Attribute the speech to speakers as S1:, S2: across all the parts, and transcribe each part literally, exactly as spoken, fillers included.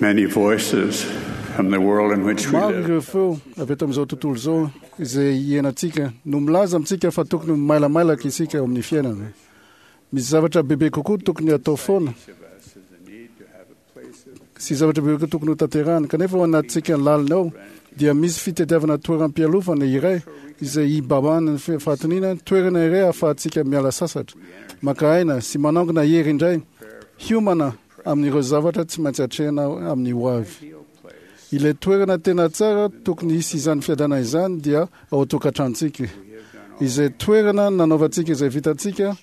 S1: Many voices from the world in which we
S2: Maro
S1: live
S2: ireo feo avy eto amin'izao tontolo izao izay iainantsika no milaza amintsika fa tokony mailamalaka isika eo amin'ny fiainana. Misy zavatra bebe kokoa tokony atao foana
S1: each of us is the need to have a place of
S2: sy zavatra bebe kokoa tokony ho tanterahana, kanefa ao anatintsika lalina ao dia misy fitadiavana toeram-pialofana iray izay hibabahana ny fahatoniana, toerana iray ahafahantsika miala sasatra, maka aina sy manangona hery indray, hiomana amin'ireo zavatra tsy maintsy atrehina amin'ny ho avy.
S1: ideal place.
S2: Ilay toerana tena tsara tokony hisy izany fiadanana izany dia ao an-tokantranontsika, izay toerana nanaovantsika izay vitantsika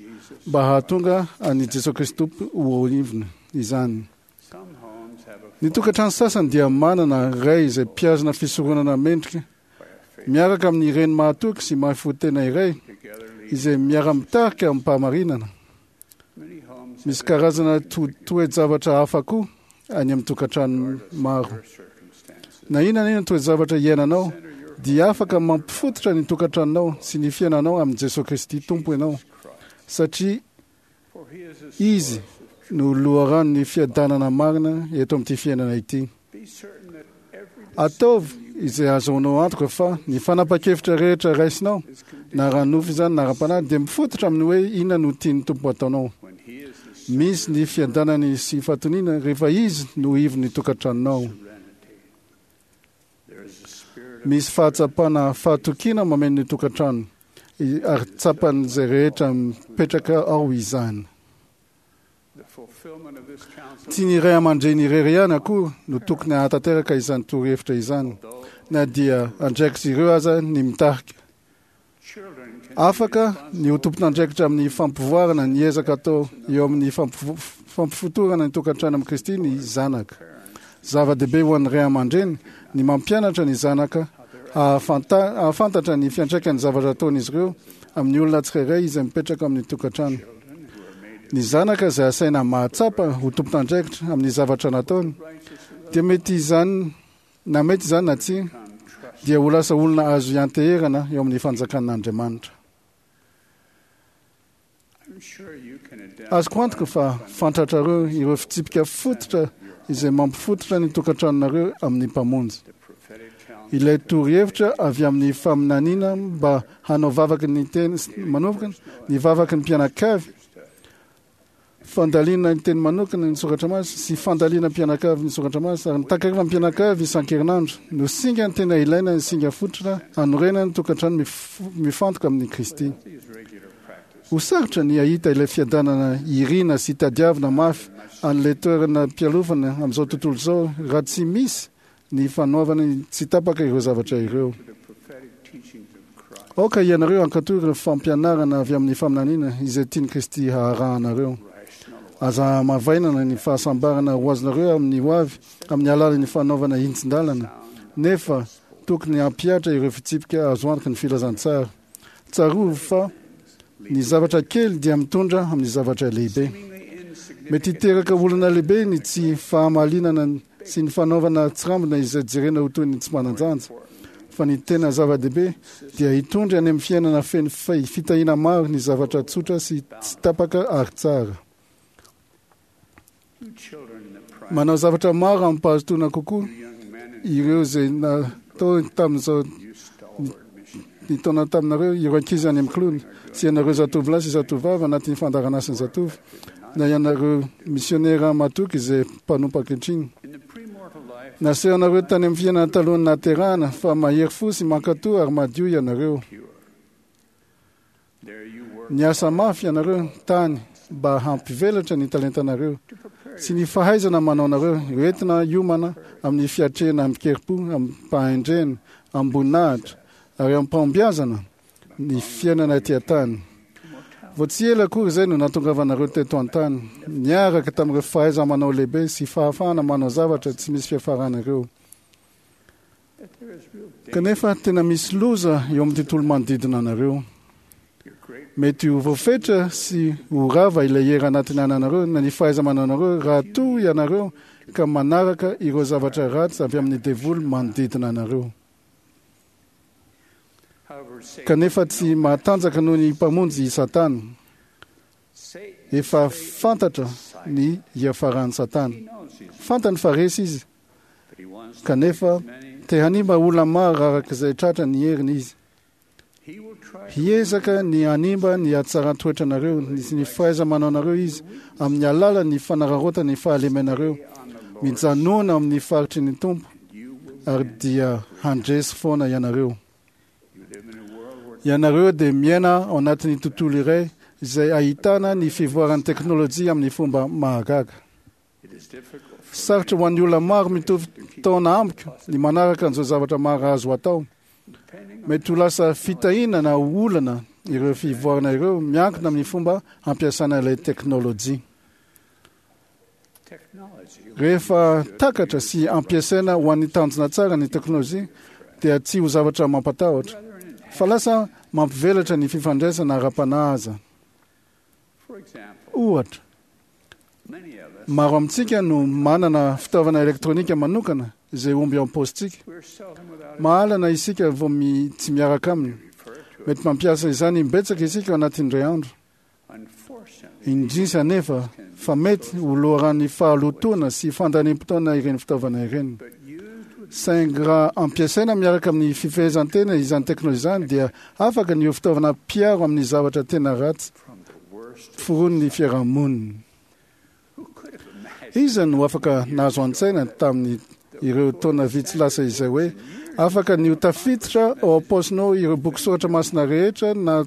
S2: mba hahatonga an'i Jesosy Kristy Tompo ho ivona izany.
S1: Some homes have a
S2: Ny tokantrano sasany dia manana ray izay mpihazona fisoronana mendrika miaraka amin'ny reny mahatoky sy mahafoy tena iray
S1: together lead.
S2: izay miara-mitarika amim-pahamarinana.
S1: Many homes
S2: Misy karazana to- toe-javatra hafa koa any amin'ny tokantrano maro.
S1: have circumstances.
S2: Na inona na inona toe-javatra iainanao dia afaka mampifototra ny tokantranonao sy ny fiainanao amin'i Jesosy Kristy Tompo ianao, satria
S1: For he is a
S2: Izy no loharanon'ny fiadanana marina eto amin'ity fiainana ity.
S1: Be certain that every
S2: Ataovy izay ahazoanao antoka fa ny fanapa-kevitra rehetra raisinao, na ara-nofo izany na ara-panahy, dia mifototra amin'ny hoe inona no tian'ny Tompo ataonao.
S1: when he is the
S2: Misy ny fiadanany sy fahatoniana rehefa Izy no ivon'ny tokantranonao.
S1: serenity. There is a spirit of
S2: Misy fahatsapana fahatokiana mameno ny tokantrano i- ary tsapan'izay rehetra mipetraka ao izany.
S1: the fulfillment of this counsel,
S2: Tsy ny ray aman-dreny irery ihany akory no tokony hahatanteraka izany torohevitra izany, na dia andraikitra ireo aza ny mitarika.
S1: children can
S2: Afaka ny ho tompon'andraikitra amin'ny fampivoarana ny ezaka atao eo amin'ny fampivo- fampifotorana ny tokantrano amin'i Kristy ny zanaka. Zava-dehibe ho an'ny ray aman-dreny ny mampianatra ny zanaka hahafanta- hahafantatra ny fiantraikan'ny zavatra ataon'izy ireo amin'ny olona tsirairay izay mipetraka amin'ny tokantrano. Ny zanaka izay asaina mahatsapa ho tompon'andraikitra amin'ny zavatra nataony dia mety izany na mety izany na tsia dia ho lasa olona azo ianteherana eo amin'ny fanjakan'Andriamanitra.
S1: I'm sure you can identify
S2: Azoko antoka fa fantatrareo ireo fitsipika fototra izay mampifototra ny tokantranonareo amin'ny Mpamonjy.
S1: the prophetic counsel
S2: Ilay torohevitra avy amin'ny faminaniana mba hanao vavaky ny teny manokana, ny vavaky ny mpianakavy, fandalina ny teny manokana ny soratra masina sy fandalina mpianakavy ny soratra masina ary ny takariva mpianakavy isan-kerinandro no singa ny tena ilaina ny singa fototra hanorenana ny tokantrano mif- mifantoka amin'ny Kristy.
S1: these regular practices.
S2: Ho sarotra ny hahita ilay fiadanana irina sy tadiavina mafy an'ilay toerana mpialofana amin'izao tontolo izao raha tsy misy ny fanaovana tsy tapaka ireo zavatra ireo.
S1: The prophetic teachings of Christ
S2: Aoka ianareo hankatò ireo fampianarana avy amin'ny faminaniana izay tian'i Kristy haharahanareo.
S1: rational
S2: Aza hamavainana ny fahasambarana ho azonareo amin'ny ho avy amin'ny alalan'ny fanaovana hintsin-dalana, nefa tokony hampihatra ireo fitsipika azo antoky ny filazantsara. Tsarovy fa ny zavatra kely dia mitondra amin'ny zavatra lehibe.
S1: seemingly insignificant
S2: Mety hiteraka olana lehibe ny tsy fahamalinana sy ny fanaovana tsirambina izay jerena ho toy ny tsy manan-danja. Fa ny tena zava-dehibe dia hitondra any amin'ny fiainana feno fi- fitahiana maro ny zavatra tsotra sy tsy tapaka ary tsara.
S1: you children in the prime,
S2: Manao zavatra maro amim-pahazotoana kokoa
S1: you young men and
S2: ireo izay natao tamin'izao
S1: you stalwart missionaries.
S2: ny taona taminareo, ireo ankizy any amin'ny kilony sy ianareo zatovolahy sy zatovavy anatin'ny fandaharanasan'ny zatovo, na ianareo misionera matoky izay mpanompo ankehitriny.
S1: In the premortal life,
S2: Nasehonareo tany amin'ny fiainana talohan'ny nahaterahana fa mahery fo sy mankatò ary madio ianareo.
S1: pure. There you work
S2: Niasa mafy ianareo tany mba hampivelatra ny talentanareo
S1: to prepare
S2: sy ny fahaizana manaonareo hoentina hiomana amin'ny fiatrehana amin-kerim-po, amim-pahendrena, amim-boninahitra ary amim-pahombiazana ny fiainana ety an-tany. Vao tsy ela akory izay no nahatongavanareo teto an-tany, niaraka tamin'ireo fahaiza-manao lehibe sy fahafahana manao zavatra tsy misy fiafarana ireo.
S1: that there is real danger.
S2: Kanefa tena misy loza eo amin'ny tontolo manodidina anareo.
S1: Your great
S2: Mety ho voafetra sy ho rava ilay hery anatiny ananareo na ny fahaiza-mananareo raha toa ianareo ka manaraka ireo zavatra ratsy avy amin'ny devoly manodidina anareo.
S1: however Satan,
S2: Kanefa tsy mahatanjaka noho ny Mpamonjy i Satana.
S1: Satan
S2: Efa fantatra ny hiafaran'i Satana.
S1: he knows he's
S2: Fantany fa resy izy Kanefa te hanimba olona maro araka izay tratra ny heriny izy. Hiezaka ny hanimba ny hatsaran-toetranareo sy ny fahaiza-manaonareo izy amin'ny alalan'ny fanararaotana ny fahalemenareo. Mijanona amin'ny faritry ny Tompo ary dia handresy foana ianareo. Ianareo dia miaina ao anatin'ny tontolo iray izay ahitana ny fivoaran'ny teknôlôjia amin'ny fomba mahagaga. Sarotra ho an'ny olona maro mitovy taona amiko ny manaraka an'izao zavatra maro azo atao. Mety ho lasa fitahiana na olana ireo fivoarana ireo miankina amin'ny fomba hampiasana ilay teknôlôjia. Rehefa takatra sy ampiasaina ho an'ny tanjona tsara ny teknôlôjia dia tsy ho zavatra mampatahotra, fa lasa mampivelatra ny fifandraisana ara-panahy aza. Ohatra, maro amintsika no manana fitaovana elektronika manokana izay omby ao am-paositsika. Mahalana isika vao mi, tsy miaraka aminy. Mety mampiasa izany imbetsaka isika ao anatin'ny iray andro. Indrisy anefa fa mety ho loharan'ny fahalotoana sy fandaniam-potoana ireny fitaovana ireny. Saingy raha ampiasaina miaraka amin'ny fifehezan-tena izany teknôlôjia izany dia afaka ny ho fitaovana mpiaro amin'ny zavatra tena ratsy foron'ny fiarahamonina. Iza no afaka nahazo an-tsaina tamin'ny ireo taona vitsy lasa izay hoe afaka ny ho tafiditra ao am-paosinao ireo boky soratra masina rehetra na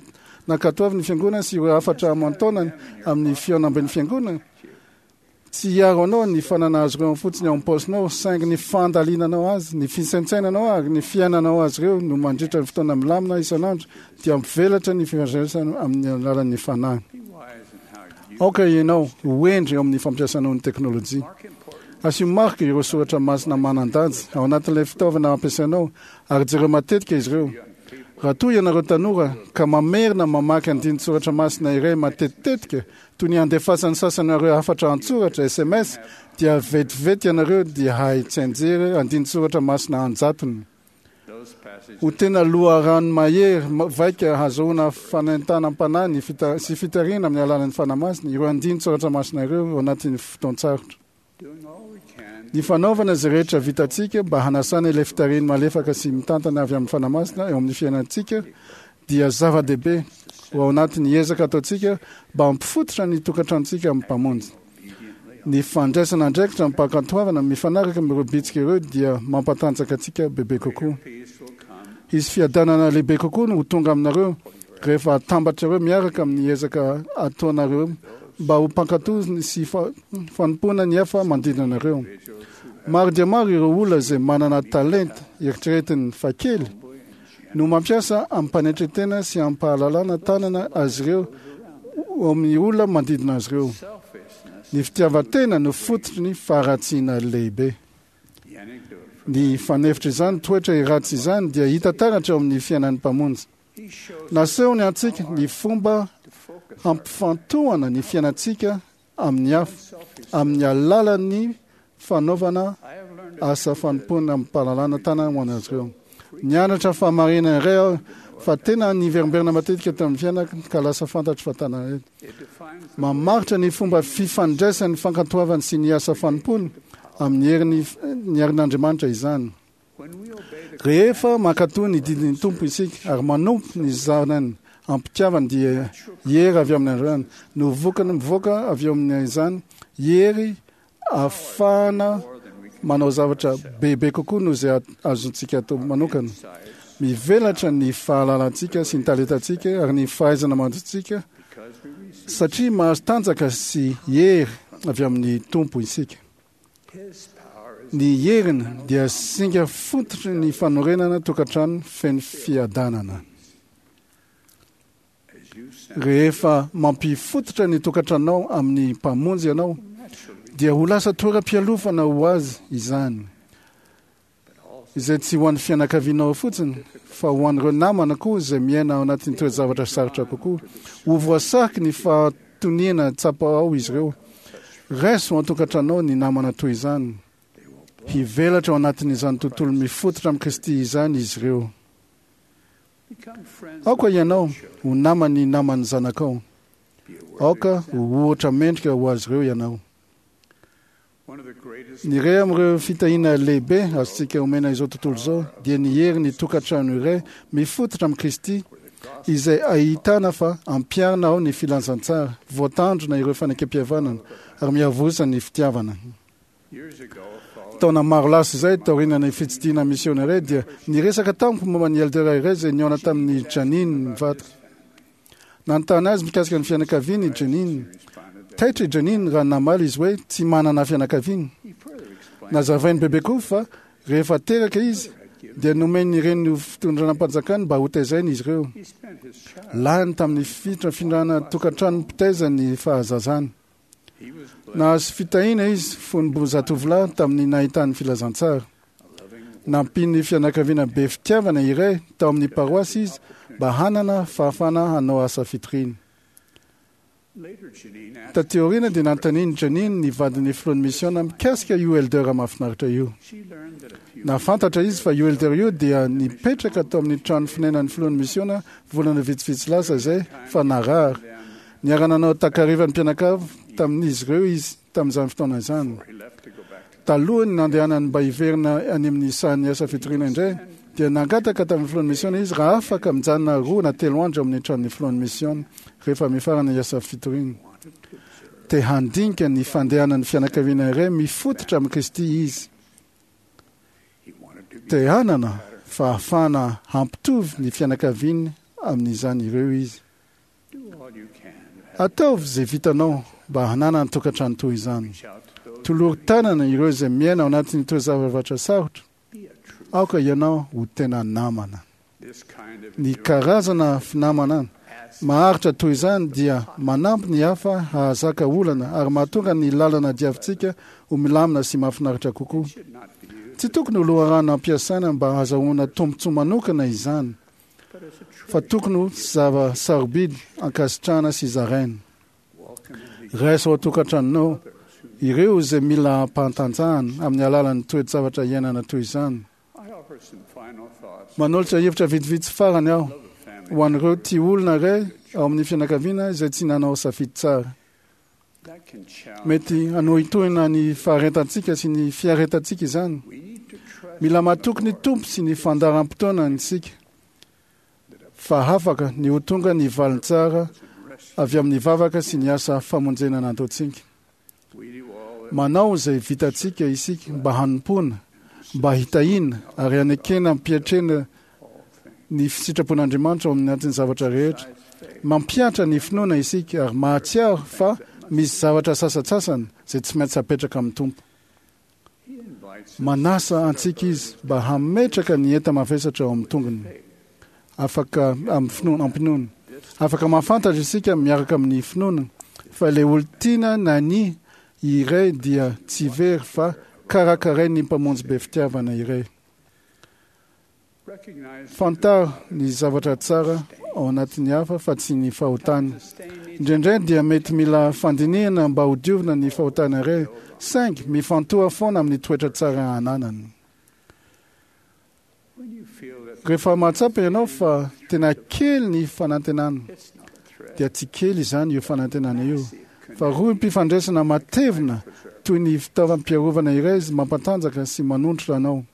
S2: nankatoavy ny fiangonana sy ireo hafatra aman-taonany amin'ny fihaonamben'ny fiangonana? Tsy hiaro anao ny fanana azy ireo fotsiny ao am-paosinao, saingy ny fandalinanao azy, ny fisaintsainanao ary ny fiainanao azy ireo no mandritra ny fotoana milamina isan'andro dia mampivelatra ny fifandraisana amin'ny alalan'ny fanahy. Aoka ianao ho hendry eo amin'ny fampiasanao ny teknôlôjia. Asio marika ireo soratra masina manan-danja ao anatin'ilay fitaovana ampiasainao ary jereo matetika izy ireo. Raha toa ianareo tanora ka mamerina mamaky andinin-tsoratra masina iray matetitetika toy ny andefasan'ny sasany ireo hafatra an-tsoratra S M S, dia vetivety ianareo dia hahay tsianjery andinin-tsoratra masina an-jatony. Ho tena loharano mahery vaika hahazoana fanentanam-panahy ny fita, sy fitarihana amin'ny alalan'ny Fanahy Masina ireo andinin-tsoratra masina ireo ao anatin'ny fotoan-tsarotra. Ny fanaovana izay rehetra vitantsika mba hanasana ilay fitarihiny malefaka sy mitantana avy amin'ny Fanahy Masina eo amin'ny fiainantsika dia zava-dehibe ho ao anatin'ny ezaka ataontsika mba hampifototra ny tokantranontsika amin'ny Mpamonjy. Ny fandraisana andraikitra amim-pankatoavana mifanaraka amin'ireo bitsika ireo dia mampatanjaka antsika bebe kokoa. Hisy fiadanana lehibe kokoa no ho tonga aminareo rehefa atambatrareo miaraka amin'ny ezaka ataonareo mba ho mpankatò sy fanompoana ny hafa manodidina anareo. Maro dia maro ireo olona izay manana talenta eritreretiny fa kely no mampiasa amim-panetren-tena sy amim-pahalalana tanana azy ireo amin'ny olona manodidina azy ireo. Ny fitiavan-tena no fototry ny faharatsiana lehibe. Ny fanefitra izany toetra ratsy izany dia hita taratra eo amin'ny fiainan'ny Mpamonjy. Nasehony antsika ny fomba hampifantohana ny fiainantsika amin'ny hafa amin'ny alalan'ny fanaovana asa fanompoana amim-pahalalana tanana ho an'azy ireo. Nianatra fahamarinana iray aho fa tena niverimberina matetika tamin'ny fiainako ka lasa fantatro fa tana mamaritra ny fomba fifandraisan'ny fankatoavany sy ny asa fanompoana amin'ny herin'ny ny herin'Andriamanitra izany. Rehefa mankatò ny didin'ny Tompo isika ary manompo ny zanany am-pitiavana dia hery avy amin'Andriamanitra no vokany mivoaka avy eo amin'izany, hery ahafahana manao zavatra bebe kokoa noho izay azontsika atao manokana. Mivelatra ny fahalalantsika sy ny talentantsika ary ny fahaizana mantsika satria mahazo tanjaka sy hery avy amin'ny Tompo isika. Ny heriny dia singa fototry ny fanorenana tokantrano feno fiadanana. Rehefa mampifototra ny tokantranonao amin'ny Mpamonjy ianao, dia ho lasa toeram-pialofana ho azy izany, izay tsy ho an'ny fianakavianao fotsiny fa ho an'ireo namana koa izay miaina ao anatin'ny toe-javatra sarotra kokoa. Ho voasariky ny fahatoniana tsapa ao izy ireo. Raiso an-tokantranonao ny namana toy izany. Hivelatra ao anatin'izany tontolo mifototra amin'i Kristy izany izy ireo. Aoka ianao ho naman'ny naman'ny zanakao. Aoka ho ohatra mendrika ho azy ireo ianao. Ny iray amin'ireo fitahiana lehibe azontsika omena izao tontolo izao dia ny hery ny tokantrano iray mifototra amin'i Kristy, izay ahitana fa ampiharina ao ny filazantsara, voatandrona ireo fanekempihavanana ary miavosa ny fitiavana. Taona maro lasa izay, taorian'ny fitsidihana misionera, dia niresaka tamiko momba ny elder iray izay nihaona tamin'ny Janine mivadika. Nanontany azy mikasika ny fianakaviany i Janine. Taitra i Janine raha namaly izy hoe tsy manana fianakaviana. Nazavainy bebe koa fa rehefa teraka izy dia nomeny ireny fitondranam-panjakany mba hotezaina izy ireo. Lany tamin'ny fifindrana tokantrano mpitaiza ny fahazazany. Nahazo fitahiana izy fony mbola zatovolahy tamin'ny nahitany filazantsara. Nampian'ny fianakaviana be fitiavana iray tao amin'ny paroasy izy mba hanana fahafahana hanao asa fitoriana. Taty aoriana dia nanontanian'i Janine ny vadin'ny filohan'ny misiona mikasika io elder mahafinaritra io. Nahafantatra izy fa io elder io dia nipetraka tao amin'ny trano fonenan'ny filohan'ny misiona volana vitsivitsy lasa izay fa narary. Niara-nanao takarivan'ny mpianakavy tamin'izy ireo izy tamin'izany fotoana izany. Talohany nandehanany mba hiverina any amin'ny sahan'ny asa fitoriana indray, dia nangataka tamin'ny filohan'ny misiona izy raha afaka mijanona roa na telo andro amin'ny tranon'ny filohan'ny misiona rehefa mifarana ny asa fitoriana. Te handinika ny fandehanan'ny fianakaviana iray mifototra amin'i Kristy izy. Te hanana fahafahana hampitovy ny fianakaviany amin'izany ireo izy. Ataovy izay vitanao mba hananana tokantrano toy izany. Tolory tanana ireo izay miaina ao anatin'ny toe-zavatra sarotra. Aoka ianao ho tena namana. Ny karazana finamana maharitra toy izany dia manampy ny hafa hahazaka olana ary mahatonga ny lalana diavintsika ho milamina sy mahafinaritra kokoa. Tsy tokony ho loharano ampiasaina mba hahazoana tombontsoa manokana izany, fa tokony ho zava-sarobidy ankasitrahana sy zaraina. Raiso ao an-tokantranonao ireo izay mila ampantanjahana amin'ny alalan'ny toe-javatra iainana toy izany. Manolotra hevitra vitsivitsy farany aho ho an'ireo tia olona iray ao amin'ny fianakaviana izay tsy nanao safidy tsara. Mety hanohintohina ny faharetantsika sy ny fiaretantsika izany. Mila matoky ny Tompo sy ny fandaharam-potoanany isika fa afaka ny ho tonga ny valiny tsara avy amin'ny vavaka sy ny asa famonjena nataontsika. Manao izay vitantsika isika mba hanompoana, mba hitahiana ary hanekena ampiatrena ny sitrapon'Andriamanitra ao amin'ny anatin'ny zavatra rehetra. Mampihatra ny finoana isika ary mahatsiaro fa misy zavatra sasantsasany izay tsy maintsy apetraka amin'ny Tompo. Manasa antsika izy mba hametraka ny enta-mavesatra ao amin'ny tongony. Afaka amin'ny finoana, ampinoana. Afaka mahafantatra isika miaraka amin'ny finoana fa ilay olon-tiana na ny iray dia tsy very fa karakarain'ny mpamonjy be fitiavana iray. Fantaro ny zavatra tsara ao anatin'ny hafa fa tsy ny fahotany. Indraindray dia mety mila fandinihana mba hodiovina ny fahotana iray, saingy mifantoha foana amin'ny toetra tsara ananany. Rehefa mahatsapa ianao fa tena kely ny fanantenana, dia tsy kely izany io fanantenana io, fa rohim-pifandraisana matevina toy ny fitaovam-piarovana iray izy mampatanjaka sy manontrotra anao.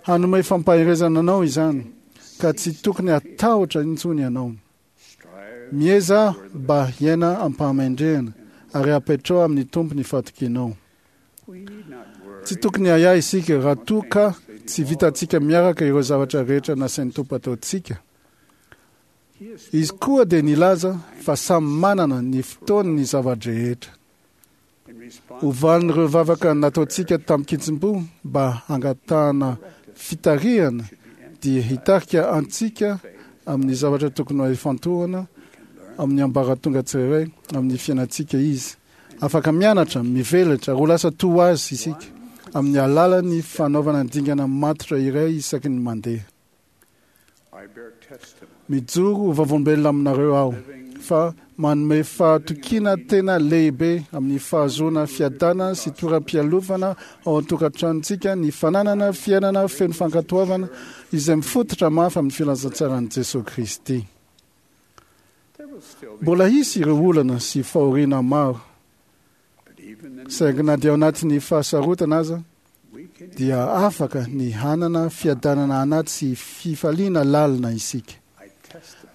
S2: Hanome fampaherezana anao izany, ka tsy tokony hatahotra intsony ianao. Mieza mba hiaina am-pahamendrehana ary apetrao amin'ny Tompo ny fahatokianao. Tsy tokony ahiahy isika raha toa ka tsy vitantsika miaraka ireo zavatra rehetra nasain'ny Tompo ataontsika. Izy koa dia nilaza fa samy manana ny fotoany ny zava-drehetra. Ho valin'ireo vavaka nataontsika tamin-kitsim-po mba hangatahana fitarihana dia hitarika antsika amin'ny zavatra tokony ho ifantohana amin'ny ambaratonga tsirairay amin'ny fiainantsika izy. Afaka mianatra, mivelatra ary ho lasa toa azy isika amin'ny alalan'ny fanaovana dingana matotra iray isaky ny mandeha. Mijoro ho vavolombelona aminareo aho fa manome fahatokiana tena lehibe amin'ny fahazoana fiadana sy toeram-pialofana ao an-tokantranontsika ny fananana fiainana feno fankatoavana izay mifototra mafy amin'ny filazantsaran'i Jesoa Kristy. Mbola hisy ireo olana sy fahoriana maro, Saingy na dia ao anatin'ny fahasarotana aza dia afaka ny hanana fiadanana anaty sy fifaliana lalina isika.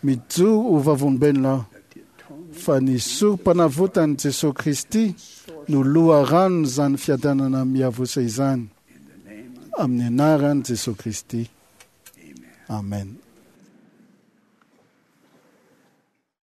S2: Mijoro ho vavolombelona aho fa ny sorom-panavotan'i Jesosy Kristy no loharanon'izany fiadanana miavosa izany. Amin'ny anaran'i Jesosy Kristy. Amen.